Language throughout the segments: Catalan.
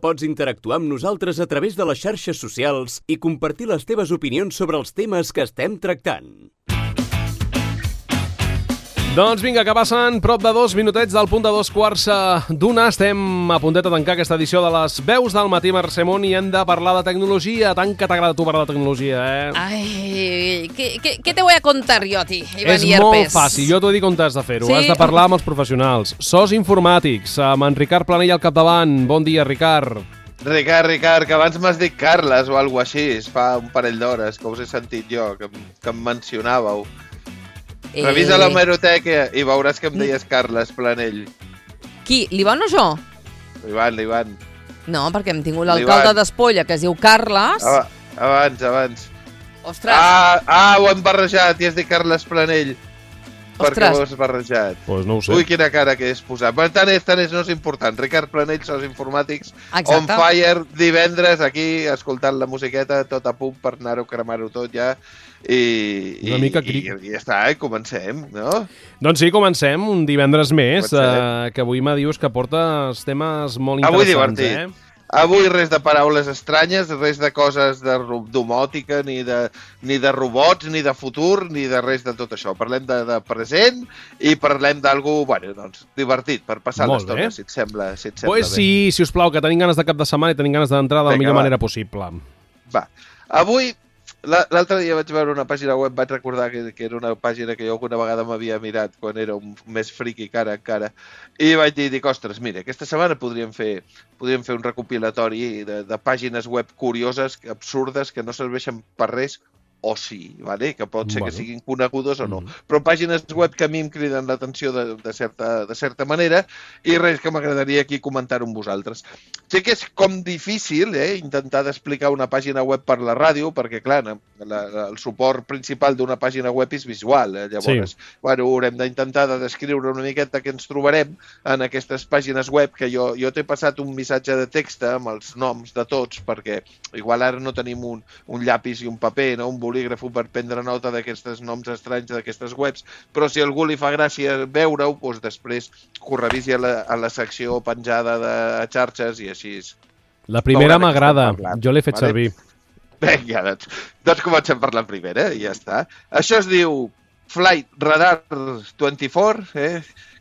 Pots interactuar amb nosaltres a través de les xarxes socials i compartir les teves opinions sobre els temes que estem tractant. Doncs vinga, que passen prop de 2 minutets del punt de 2:15. Estem a puntet de tancar aquesta edició de les Veus del Matí, Mercè Món, i hem de parlar de tecnologia. Tant que t'agrada a tu parlar de tecnologia, eh? Ay, ¿qué te voy a contar yo a ti, Iván És Hierpes? molt fàcil, jo t'ho dic on has de fer-ho. Sí? Has de parlar amb els professionals. SOS Informàtics, amb en Ricard Planell al capdavant. Bon dia, Ricard. Ricard, que abans m'has dit Carles o alguna així, fa un parell d'hores, que us he sentit jo, que em mencionàveu. Revisa l'hemeroteca i veuràs que em deies Carles Planell. Qui, l'Ivan o jo? L'Ivan. No, perquè hem tingut l'alcalde d'Espolla, que es diu Carles. Abans. Ostres. Ho hem barrejat i has dit Carles Planell. Perquè ho has barrejat. Pues no ho sé. Ui, quina cara que és posat. Però tant és, no és important. Ricard Planell, SOS Informàtics, Exacte. On Fire, divendres, aquí, escoltant la musiqueta, tot a punt per anar-ho, cremar-ho tot ja. I ja està, comencem, no? Doncs sí, comencem un divendres més, que avui me dius que portes temes molt interessants. Avui divertit. Avui res de paraules estranyes, res de coses de domòtica, ni de robots, ni de futur, ni de res de tot això. Parlem de present i parlem d'algú, doncs, divertit, per passar l'estona, si et sembla bé. Sí, si us plau, que tenim ganes de cap de setmana i tenim ganes d'entrar de la millor manera possible. Va, avui... L'altre dia vaig veure una pàgina web, vaig recordar que era una pàgina que jo alguna vegada m'havia mirat quan era més friqui que ara encara, i vaig dir, ostres, mira, aquesta setmana podríem fer un recopilatori de pàgines web curioses, absurdes, que no serveixen per res, o sí, vale? Que pot ser que siguin conegudes o no. Però pàgines web que a mi em criden l'atenció de certa manera i res que m'agradaria aquí comentar amb vosaltres. Sé que és com difícil intentar d'explicar una pàgina web per la ràdio, perquè clar, el suport principal d'una pàgina web és visual. Llavors, haurem d'intentar de descriure una miqueta què ens trobarem en aquestes pàgines web, que jo t'he passat un missatge de text amb els noms de tots, perquè igual ara no tenim un llapis i un paper, un bolígraf per prendre nota d'aquests noms estranys d'aquestes webs, però si a algú li fa gràcia veure-ho, doncs després que ho revisi a la secció penjada de xarxes i així. La primera m'agrada, jo l'he fet servir. Vinga, doncs comencem per la primera i ja està. Això es diu Flight Radar 24,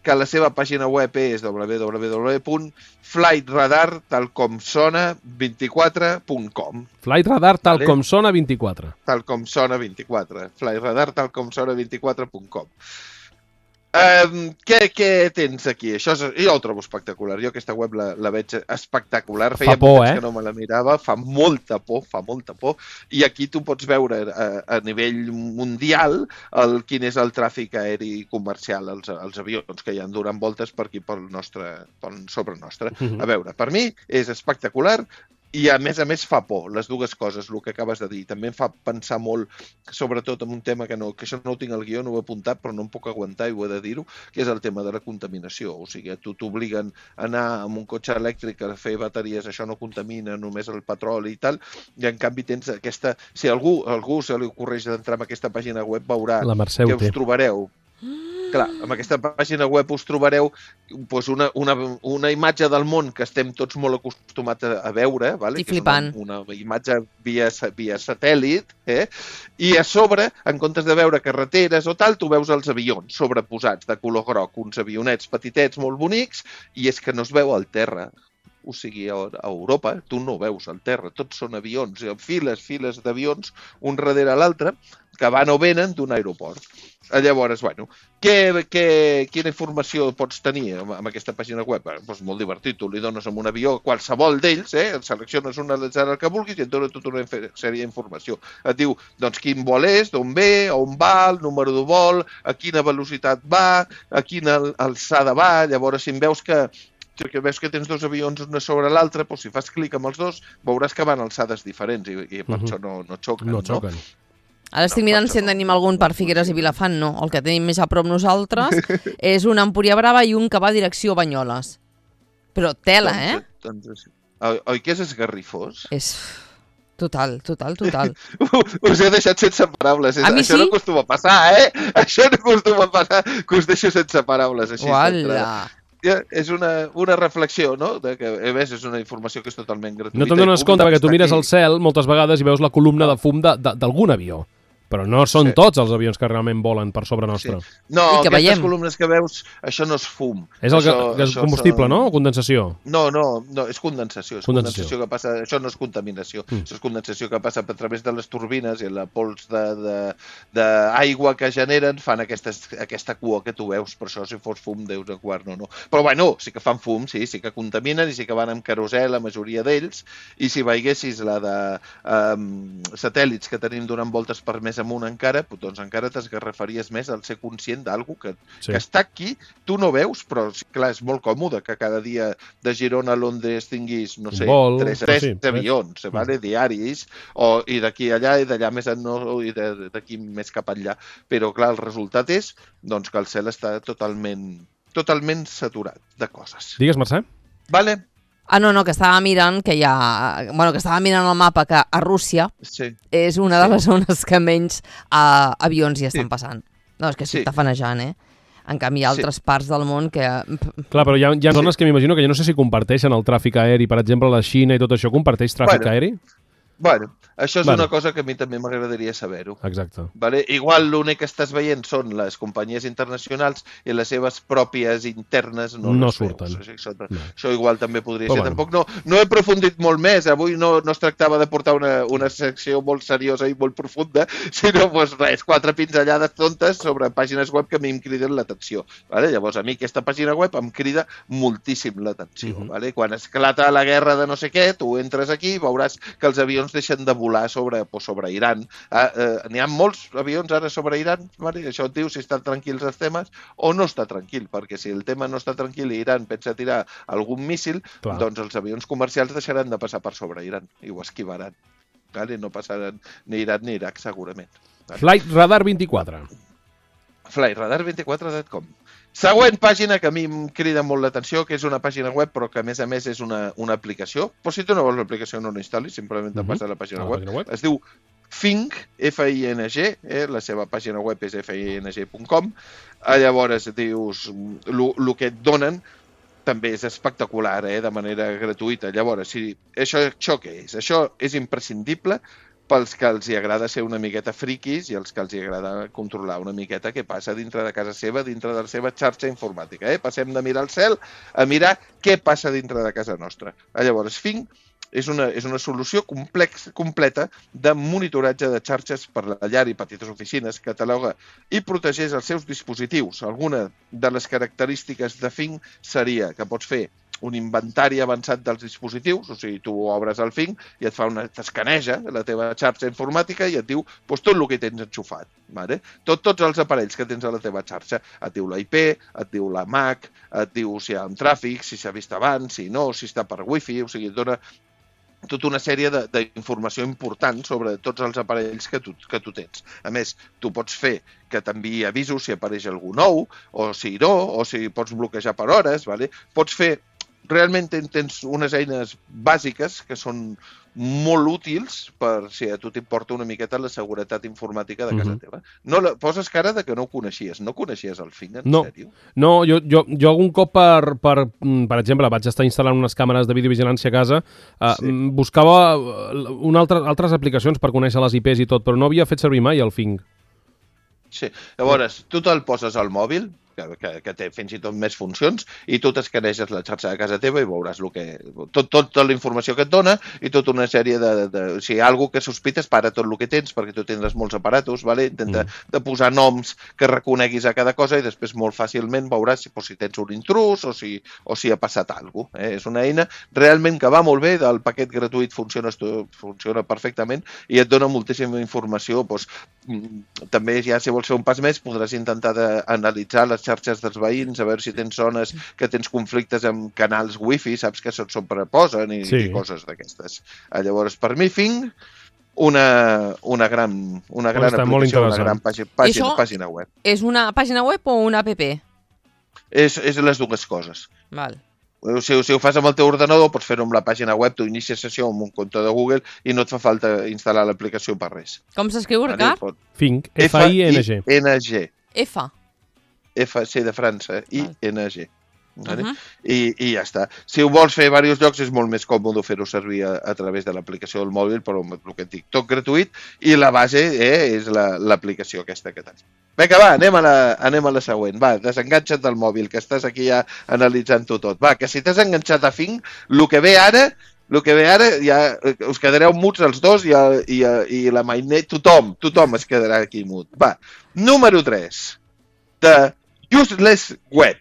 que la seva pàgina web és www.flightradar.talcomsona24.com. Flightradar talcomsona24. Talcomsona24. Flightradar.talcomsona24.com. Què tens aquí? Jo ho trobo espectacular. Jo aquesta web la veig espectacular. Fa por, que no me la mirava. Fa molta por. I aquí tu pots veure a nivell mundial quin és el tràfic aeri comercial, els avions que hi han donant voltes per aquí, sobre nostre. A veure, per mi és espectacular. I a més fa por, les dues coses, el que acabes de dir. També em fa pensar molt, sobretot en un tema que això no ho tinc al guió, no ho he apuntat, però no em puc aguantar i ho he de dir-ho, que és el tema de la contaminació. O sigui, tu t'obliguen a anar amb un cotxe elèctric a fer bateries, això no contamina, només el petroli i tal, i en canvi tens aquesta... Si a algú se li ocorreix d'entrar en aquesta pàgina web, veurà que us trobareu. Clar, amb aquesta pàgina web us trobareu una imatge del món que estem tots molt acostumats a veure, i flipant. Una imatge via satèl·lit, i a sobre, en comptes de veure carreteres o tal, tu veus els avions sobreposats de color groc, uns avionets petitets molt bonics, i és que no es veu al terra. O sigui, a Europa tu no veus al terra, tots són avions, files d'avions, un darrere l'altre, que van o venen d'un aeroport. Llavors, quina informació pots tenir amb aquesta pàgina web? Doncs molt divertit, tu li dones amb un avió qualsevol d'ells, selecciones un el que vulguis i et dona tota una sèrie d'informació. Et diu quin vol és, d'on ve, on va, el número de vol, a quina velocitat va, a quina alçada va. Llavors, si veus que tens dos avions un sobre l'altre, si fas clic amb els dos, veuràs que van a alçades diferents i per això no xoquen. No xoquen. Ara estic mirant si en tenim algun per Figueres i Vilafant, no. El que tenim més a prop nosaltres és un a Empúria Brava i un que va a direcció Banyoles. Però tela, Oi que és esgarrifós? És... Total. Us he deixat sense paraules. A mi sí? Això no acostuma a passar, Això no acostuma a passar, que us deixo sense paraules. Així. Uala! és una reflexió, no? De que, a més, és una informació que és totalment gratuïta. No te'n dones compte perquè tu mires al cel moltes vegades i veus la columna de fum d'algun avió. Però no són tots els avions que realment volen per sobre nostre. Sí. No, aquestes columnes que veus, això no és fum. És el combustible, no? O condensació? No, és condensació. És condensació que passa... Això no és contaminació. Això és condensació que passa a través de les turbines i la pols d'aigua que generen fan aquesta cua que tu veus. Per això, si fos fum, deus de quart, no. Però, bueno, sí que fan fum, sí que contaminen i sí que van amb querosè, la majoria d'ells. I si veiessis la de satèl·lits que tenim donant voltes per més amunt encara, doncs encara t'esgarrafaries més al ser conscient d'algú que està aquí, tu no veus, però clar, és molt còmode que cada dia de Girona a Londres tinguis, no sé, tres avions, diaris, i d'aquí allà i d'allà més i d'aquí més cap allà. Però clar, el resultat és doncs, que el cel està totalment saturat de coses. Digues, Mercè. Vale. No, que estava mirant que estava mirant el mapa que a Rússia és una de les zones que menys avions hi estan passant. No, és que s'està fanejant, En canvi, hi ha altres parts del món que... Clar, però hi ha zones que m'imagino que jo no sé si comparteixen el tràfic aeri. Per exemple, la Xina i tot això comparteix tràfic aeri? Bueno, això és una cosa que a mi també m'agradaria saber-ho. Exacte. Igual l'únic que estàs veient són les companyies internacionals i les seves pròpies internes no surten. Això igual també podria ser. Tampoc no he aprofundit molt més. Avui no es tractava de portar una secció molt seriosa i molt profunda, sinó res, 4 pinzellades tontes sobre pàgines web que a mi em criden l'atenció. Llavors, a mi aquesta pàgina web em crida moltíssim l'atenció. Quan esclata la guerra de no sé què, tu entres aquí i veuràs que els avions deixen de volar sobre Iran. N'hi ha molts avions ara sobre Iran, això et diu si estan tranquils els temes o no està tranquil, perquè si el tema no està tranquil i Iran pensa tirar algun míssil, doncs els avions comercials deixaran de passar per sobre Iran i ho esquivaran. No passaran ni Iran ni Iraq, segurament. Flight Radar 24. Flightradar24.com. Següent pàgina que a mi em crida molt l'atenció, que és una pàgina web, però que a més és una aplicació. Però si tu no vols l'aplicació no l'instal·lis, simplement te passa a la pàgina web. Es diu Fing, F-I-N-G, la seva pàgina web és fing.com. Llavors dius, el que et donen també és espectacular, de manera gratuïta. Llavors, això què és? Això és imprescindible pels que els agrada ser una miqueta friquis i els que els agrada controlar una miqueta què passa dintre de casa seva, dintre de la seva xarxa informàtica. Passem de mirar el cel a mirar què passa dintre de casa nostra. Llavors, Fing és una solució completa de monitoratge de xarxes per la llar i petites oficines, cataloga i protegeix els seus dispositius. Alguna de les característiques de Fing seria que pots fer un inventari avançat dels dispositius, o sigui, tu obres el Fing i t'escaneja la teva xarxa informàtica i et diu tot el que tens enxufat. Tots els aparells que tens a la teva xarxa. Et diu la IP, et diu la MAC, et diu si hi ha un tràfic, si s'ha vist abans, si no, si està per wifi, o sigui, et dona tota una sèrie d'informació important sobre tots els aparells que tu tens. A més, tu pots fer que t'enviï avisos si apareix algú nou, o si no, o si pots bloquejar per hores. Pots fer... Realment tens unes eines bàsiques que són molt útils per si a tu t'importa una miqueta la seguretat informàtica de casa teva. Poses cara de que no ho coneixies. No coneixies el Fing, en sèrio? No, jo algun cop, per exemple, vaig estar instal·lant unes càmeres de videovigilància a casa, buscava altres aplicacions per conèixer les IPs i tot, però no havia fet servir mai el Fing. Sí, llavors, tu te'l poses al mòbil, que té fins i tot més funcions, i tu t'escaneges la xarxa de casa teva i veuràs tota la informació que et dona i tota una sèrie si hi ha alguna que sospites, para tot el que tens, perquè tu tindràs molts aparatos, intenta de posar noms que reconeguis a cada cosa i després molt fàcilment veuràs si tens un intrus o si ha passat alguna cosa. És una eina realment que va molt bé, el paquet gratuït funciona perfectament i et dona moltíssima informació. També ja si vols fer un pas més podràs intentar analitzar les xarxes dels veïns, a veure si tens zones que tens conflictes amb canals wifi, saps que se't sobreposen i coses d'aquestes. Llavors, per mi, Fing, una gran aplicació, una gran pàgina web. És una pàgina web o una app? És les dues coses. Val. Si ho fas amb el teu ordenador, pots fer-ho amb la pàgina web, tu inicies sessió amb un compte de Google i no et fa falta instal·lar l'aplicació per res. Com s'escriu, Ricard? Fing, F-I-N-G. F-I-N-G. F. F, C de França, I-N-G. I ja està. Si ho vols fer a diversos llocs és molt més còmode fer-ho servir a través de l'aplicació del mòbil, però el que et dic, tot gratuït, i la base és l'aplicació aquesta que tens. Vinga, va, anem a la següent. Va, desenganxa't del mòbil, que estàs aquí ja analitzant-ho tot. Va, que si t'has enganxat a Fing, el que ve ara ja us quedareu muts els dos i la Mainet, tothom es quedarà aquí mut. Va, número 3, de Useless Web,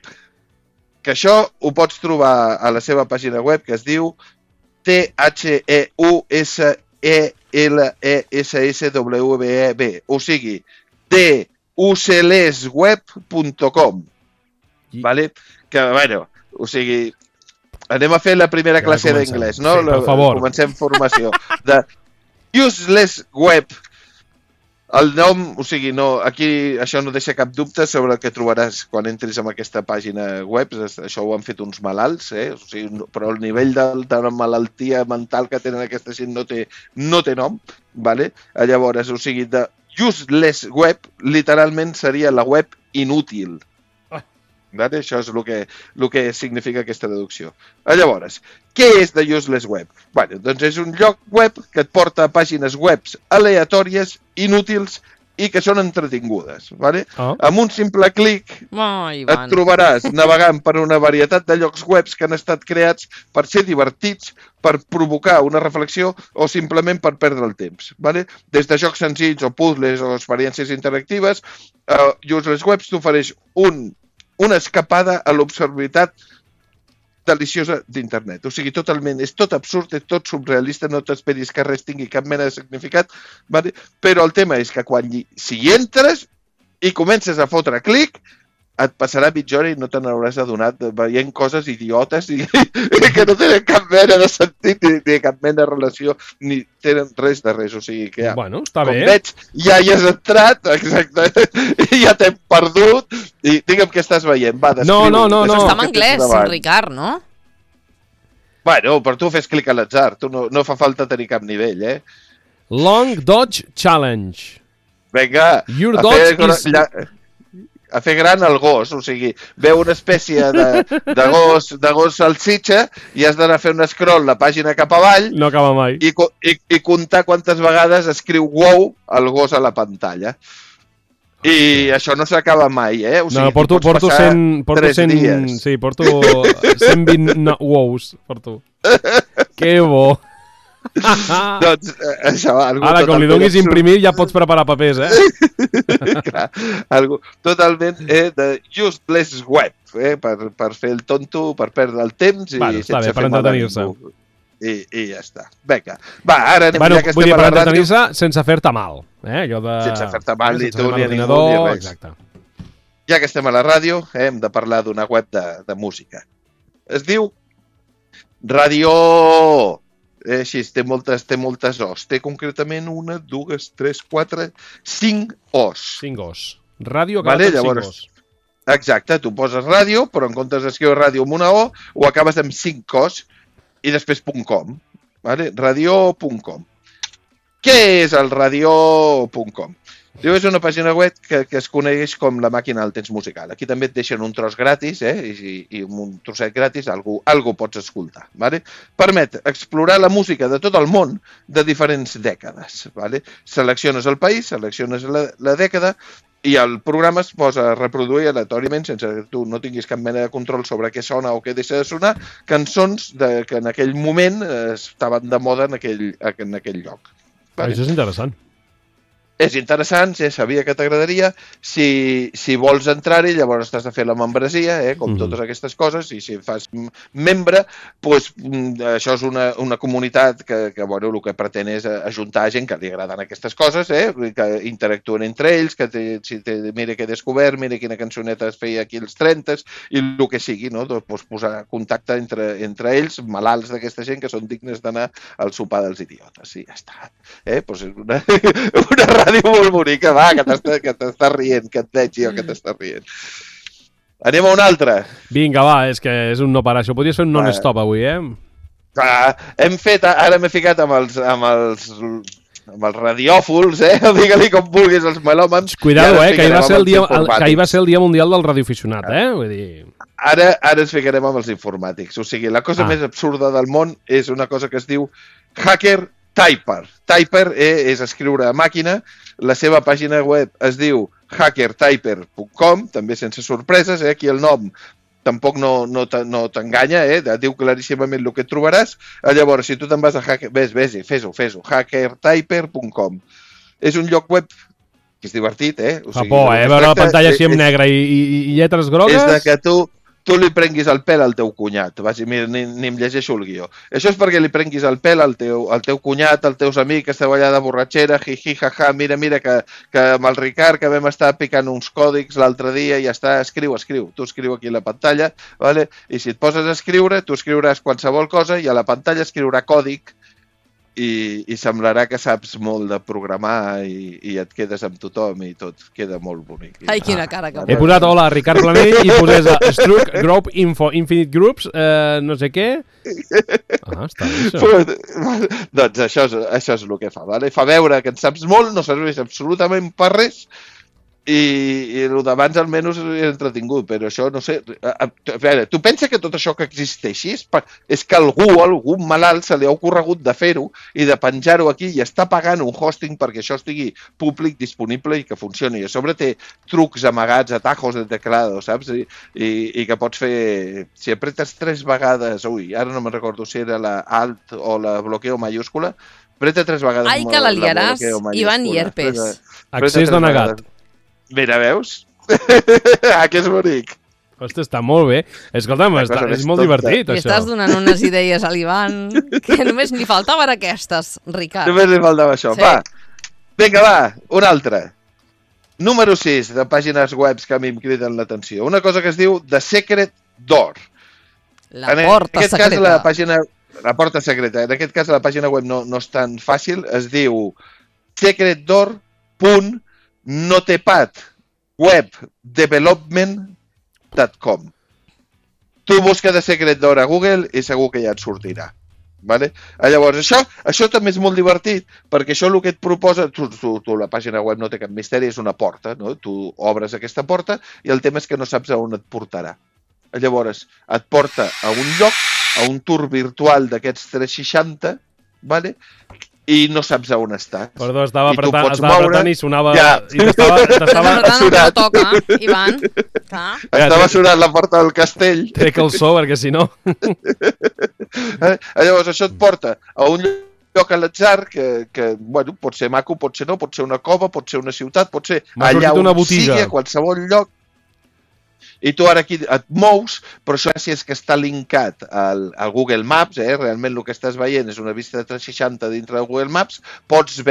que això ho pots trobar a la seva pàgina web, que es diu THEUSELESSWEB, o sigui, uselessweb.com. Vale? Que, bueno, o sigui, anem a fer la primera classe d'anglès, no? Sí, per favor. Comencem formació. De Useless Web. El nom, o sigui, no, aquí això no deixa cap dubte sobre el que trobaràs quan entris en aquesta pàgina web. Això ho han fet uns malalts, o sigui, però el nivell de malaltia mental que tenen aquesta gent no té nom, vale? Llavors, o sigui, de Useless Web, literalment seria la web inútil. Vale? Això és el que significa aquesta traducció. Llavors, què és The Useless Web? Bueno, doncs és un lloc web que et porta a pàgines webs aleatòries, inútils i que són entretingudes. Vale? Amb un simple clic et trobaràs navegant per una varietat de llocs webs que han estat creats per ser divertits, per provocar una reflexió o simplement per perdre el temps. Vale? Des de jocs senzills o puzzles o experiències interactives, Useless Webs t'ofereix una escapada a l'obscuritat deliciosa d'internet. O sigui, totalment, és tot absurd, és tot surrealista, no t'esperis que res tingui cap mena de significat, vale? Però el tema és que si hi entres i comences a fotre clic, et passarà mitja hora i no te n'hauràs adonat veient coses idiotes i que no tenen cap mena de sentit ni cap mena de relació, ni tenen res de res. O sigui que bueno, està bé. Com veig, ja hi has entrat, exacte, i ja t'hem perdut i digue'm què estàs veient. Va, descriu. No. Està en anglès, Ricard, no? Bueno, però tu fes clic a l'atzar, no fa falta tenir cap nivell, Long Dodge Challenge. Vinga, Your dodge is... a fer gran el gos, o sigui, veu una espècie de gos salsitxa i has d'anar a fer un scroll la pàgina cap avall. No acaba mai. I comptar quantes vegades escriu wow el gos a la pantalla. I això no s'acaba mai, O sigui, porto 100 dies. Sí, porto 120 wows, porto. Que bo. Doncs això, ara, com li donis imprimir ja pots preparar papers, Clar, totalment de Useless Web, per fer el tonto, per perdre el temps i està bé, per entretenir-se. I ja està. Vinga, va, ara anem ja que estem a la ràdio. Per entretenir-se sense fer-te mal. Sense fer-te mal ni tu ni a ningú ni res. Exacte. Ja que estem a la ràdio, hem de parlar d'una web de música. Es diu Radio... Així, té moltes os. Té concretament 1, 2, 3, 4, 5 os. 5 os. Ràdio acabat amb 5 os. Exacte, tu poses ràdio, però en comptes d'escriure ràdio amb una O, ho acabes amb 5 os i després .com. Vale? Radio.com. Què és el radio.com? És una pàgina web que es coneix com la màquina del temps musical. Aquí també et deixen un tros gratis, i un trosset gratis algú pots escoltar. Vale? Permet explorar la música de tot el món de diferents dècades. Vale? Selecciones el país, selecciones la dècada i el programa es posa a reproduir aleatòriament, sense que tu no tinguis cap mena de control sobre què sona o què deixa de sonar, cançons que en aquell moment estaven de moda en aquell lloc. Vale? Això és interessant. És interessant, ja sabia que t'agradaria. Si vols entrar-hi, llavors t'has de fer la membresia, com totes aquestes coses, i si fas membre, doncs això és una comunitat que el que pretén és ajuntar gent que li agraden aquestes coses, que interactuen entre ells, que mira què he descobert, mira quina cançoneta es feia aquí als 30, i el que sigui, no? Doncs posar contacte entre ells, malalts d'aquesta gent, que són dignes d'anar al sopar dels idiotes. I ja està. Doncs és una ràdio molt bonica, va, que t'estàs rient, que et veig jo que t'estàs rient. Anem a una altra. Vinga, va, és que és un no parar. Això podries fer un non-stop avui, Ara m'he ficat amb els amb els radiòfols, digue-li com vulguis, els melòmans. Cuidado, que ahir va ser el dia mundial del radioaficionat, Vull dir... Ara ens ficarem amb els informàtics. O sigui, la cosa més absurda del món és una cosa que es diu Hacker Typer. Typer és escriure a màquina. La seva pàgina web es diu hackertyper.com, també sense sorpreses, aquí el nom tampoc no t'enganya, diu claríssimament el que et trobaràs. Llavors, si tu te'n vas a fes-ho, hackertyper.com. És un lloc web que és divertit, O sigui, fa por, veure la pantalla així en negre i lletres grogues. És de que tu li prenguis el pèl al teu cunyat. Mira, ni em llegeixo el guió. Això és perquè li prenguis el pèl al teu cunyat, als teus amics, que esteu allà de borratxera, jaja, mira, que amb el Ricard, que vam estar picant uns còdics l'altre dia, i ja està, escriu. Tu escriu aquí a la pantalla, vale? I si et poses a escriure, tu escriuràs qualsevol cosa i a la pantalla escriurà còdic i semblarà que saps molt de programar i et quedes amb tothom i tot queda molt bonic. Ai, quina cara que... He posat hola, Ricard Planell, i posés Struck, Group, Info, Infinite Groups, no sé què... està bé, això. Doncs això és el que fa, vale? Fa veure que en saps molt, no serveix absolutament per res, i el d'abans almenys és entretingut, però això no sé... A veure, tu pensa que tot això que existeixi és que algú malalt se li ha ocorregut de fer-ho i de penjar-ho aquí i està pagant un hosting perquè això estigui públic, disponible i que funcioni. I a sobre té trucs amagats, atajos de teclado, saps? I que pots fer... Si apretes 3 vegades... ara no me'n recordo si era la Alt o la bloqueo mayúscula. Apreta 3 vegades Ai, que la liaràs, Ivan Hierpes. Accés denegat. Mira, veus? Que és bonic. Ostres, està molt bé. Escolta'm, és molt divertit, això. Li estàs donant unes idees a l'Ivan que només li faltaven aquestes, Ricard. Només li faltava això. Sí. Va, vinga, una altra. Número 6 de pàgines webs que a mi em criden l'atenció. Una cosa que es diu The Secret Door. La porta secreta. La porta secreta. En aquest cas, la pàgina web no és tan fàcil. Es diu secretdoor.notepad.webdevelopment.com. Tu busca The Secret Door a Google i segur que ja et sortirà. Vale? Llavors, això també és molt divertit, perquè això el que et proposa, la pàgina web no té cap misteri, és una porta, no? Tu obres aquesta porta i el tema és que no saps a on et portarà. Llavors, et porta a un lloc, a un tour virtual d'aquests 360, vale? I no saps on estàs. Perdó, estava apretant i sonava... Ja. I t'estava sonant. No toca, Ivan. Estava sonant la porta del castell. Trec el so, perquè si no... Llavors, això et porta a un lloc a l'atzar que bueno, pot ser maco, pot ser no, pot ser una cova, pot ser una ciutat, pot ser allà on sigui, a qualsevol lloc. I tu ara aquí et mous, però això si és que està linkat al Google Maps, realment el que estàs veient és una vista de 360 dintre de Google Maps, pots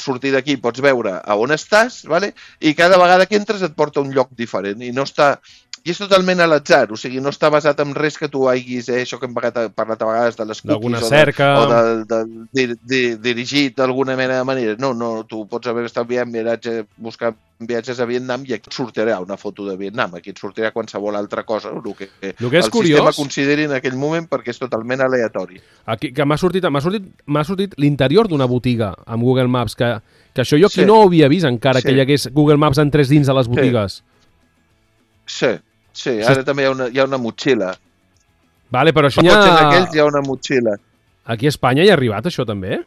sortir d'aquí, pots veure a on estàs, vale? I cada vegada que entres et porta a un lloc diferent i no està... I és totalment a l'atzar, o sigui, no està basat en res que tu haguis, això que hem parlat a vegades de les cookies o dirigit d'alguna mena de manera. No, tu pots haver estat buscant viatges a Vietnam i aquí et sortirà una foto de Vietnam, aquí et sortirà qualsevol altra cosa, el que el sistema consideri en aquell moment perquè és totalment aleatori. Aquí, que m'ha sortit l'interior d'una botiga amb Google Maps, que això jo aquí no ho havia vist encara, que hi hagués Google Maps entrés dins de les botigues. Sí, ara també hi ha una motxilla. Vale, però això hi ha una motxilla. Aquí a Espanya hi ha arribat això també?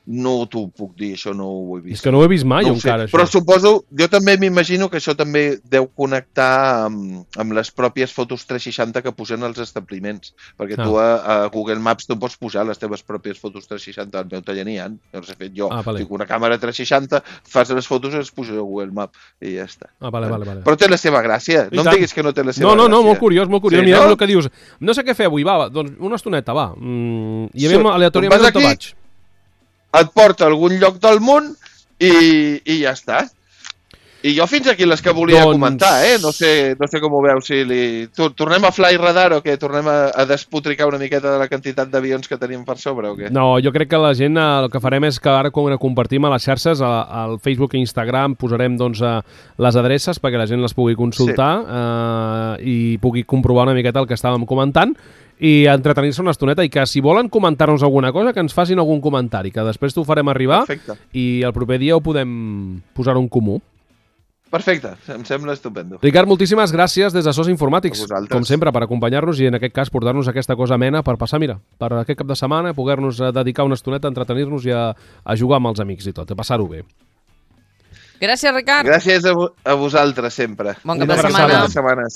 No t'ho puc dir, això no ho he vist. És que no ho he vist mai encara, això. Però suposo, jo també m'imagino que això també deu connectar amb les pròpies fotos 360 que posen als establiments, perquè tu a Google Maps tu pots posar les teves pròpies fotos 360, al meu taller n'hi ha, els he fet jo. Fico una càmera 360, fas les fotos i les poso a Google Maps i ja està. Vale. Però té la seva gràcia, no em diguis que no té la seva gràcia. No, molt curiós. Sí, mira el que dius, no sé què fer avui, doncs una estoneta, va. I a mi aleatòriament on te vaig. Et porta a algun lloc del món i ja està. I jo fins aquí les que volia comentar, No sé com ho veus, si tornem a fly radar o què? Tornem a despotricar una miqueta de la quantitat d'avions que tenim per sobre o què? No, jo crec que la gent el que farem és que ara quan compartim a les xarxes, al Facebook i Instagram, posarem doncs les adreces perquè la gent les pugui consultar i pugui comprovar una miqueta el que estàvem comentant i entretenir-se una estoneta i que si volen comentar-nos alguna cosa que ens facin algun comentari, que després t'ho farem arribar. Perfecte. I el proper dia ho podem posar en comú. Perfecte, em sembla estupendo. Ricard, moltíssimes gràcies des de SOS Informàtics, com sempre, per acompanyar-nos i en aquest cas portar-nos aquesta cosa amena per passar, mira, per aquest cap de setmana, poder-nos dedicar una estoneta a entretenir-nos i a jugar amb els amics i tot, a passar-ho bé. Gràcies, Ricard. Gràcies a vosaltres sempre. Bon cap de setmana.